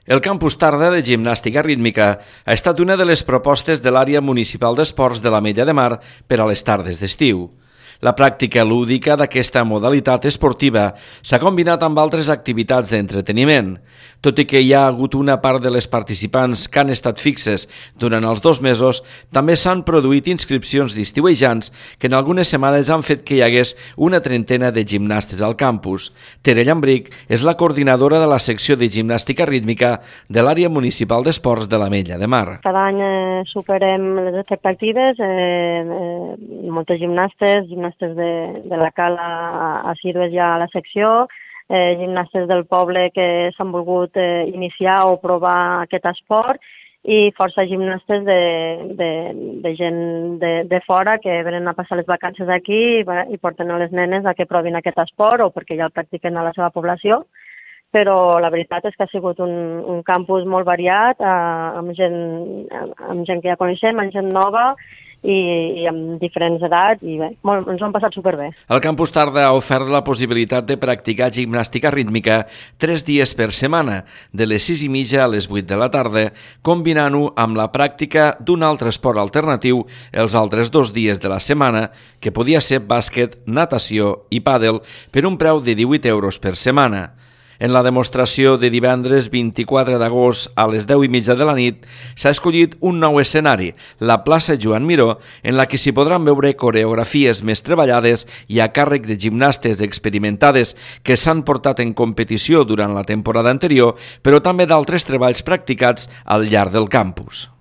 El campus tarda de gimnàstica rítmica ha estat una de les propostes de l'àrea municipal d'esports de l'Ametlla de Mar per a les tardes d'estiu. La pràctica lúdica d'aquesta modalitat esportiva s'ha combinat amb altres activitats d'entreteniment. Tot i que hi ha hagut una part de les participants que han estat fixes durant els 2 mesos, també s'han produït inscripcions d'estiuejants que en algunes setmanes han fet que hi hagués una trentena de gimnastes al campus. Tere Llambric és la coordinadora de la secció de gimnàstica rítmica de l'àrea municipal d'esports de l'Ametlla de Mar. Cada any superem les expectatives, moltes gimnastes de la Cala a Sirves ja a la secció, gimnastes del poble que s'han volgut iniciar o provar aquest esport i força gimnastes de gent de fora que venen a passar les vacances aquí i porten a les nenes a que provin aquest esport o perquè ja el practiquen a la seva població. Però la veritat és que ha sigut un campus molt variat, amb gent que ja coneixem, amb gent nova i amb diferents edats, i bé, ens ho hem passat superbé. El campus tarda ha ofert la possibilitat de practicar gimnàstica rítmica 3 dies per setmana, de les 6:30 a les 8 de la tarda, combinant-ho amb la pràctica d'un altre esport alternatiu els altres 2 dies de la setmana, que podia ser bàsquet, natació i pàdel, per un preu de 18 euros per setmana. En la demostració de divendres 24 d'agost a les 10:30 de la nit s'ha escollit un nou escenari, la plaça Joan Miró, en la que s'hi podran veure coreografies més treballades i a càrrec de gimnastes experimentades que s'han portat en competició durant la temporada anterior, però també d'altres treballs practicats al llarg del campus.